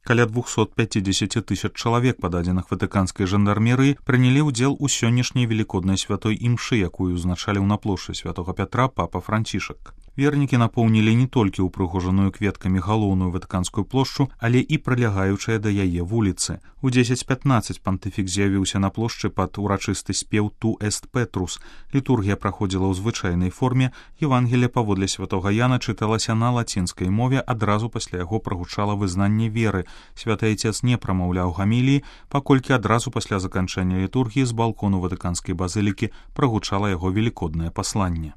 Каля 250 тысяч чалавек, па дадзеных ватыканскай жандармерыі, прынялі ўдзел у сённяшняй велікоднай святой імшы, якую ўзначаліў на плошчы святога Пятра папа Францішак. Вернікі напоўнілі не толькі ўпрыгожаную кветкамі галоўную ватыканскую плошчу, але і прылягаючыя да яе вуліцы. У 10:15 пантыфік з'явіўся на плошчы пад урачысты спеў «Ту эст Петрус». Літургія праходзіла ў звычайнай форме, Евангелле паводле святога Яна чыталася на лацінскай мове, адразу пасля яго прагучала вызнанне веры. Святы Айцец не прамаўляў гаміліі, паколькі адразу пасля заканчэння літургіі з балкону ватыканскай базылікі прагучала яго велікоднае пасланне.